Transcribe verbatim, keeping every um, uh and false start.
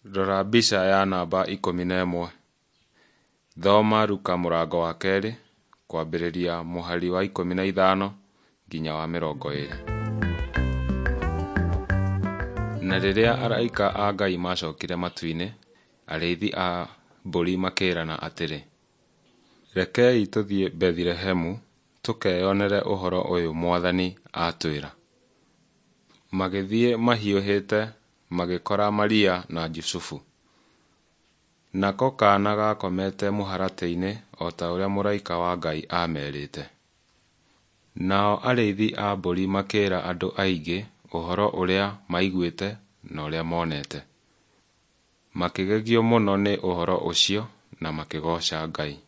Rora mbica ya namba ikũmi na ĩmwe. Thoma Luka mũrango wa kerĩ kwambĩrĩria mũhari wa ikũmi na ithano nginya wa mĩrongo ĩĩrĩ. Na rĩrĩa araika a Ngai maacokire matu-inĩ, arĩithi a mbũri makĩĩrana atĩrĩ, Rekei tũthiĩ Bethilehemu tũkeyonere ũhoro ũyũ Mwathani aatwĩra. Magĩthiĩ mahiũhĩte magĩkora Maria na Jusufu, nako kaana gaakomete mũharatĩ-inĩ o ta ũrĩa mũraika wa Ngai aamerĩte. Nao arĩithi a mbũri makĩĩra andũ aingĩ ũhoro ũrĩa maiguĩte na ũrĩa monete. Makĩgegio mũno nĩ ũhoro ũcio na makĩgooca Ngai.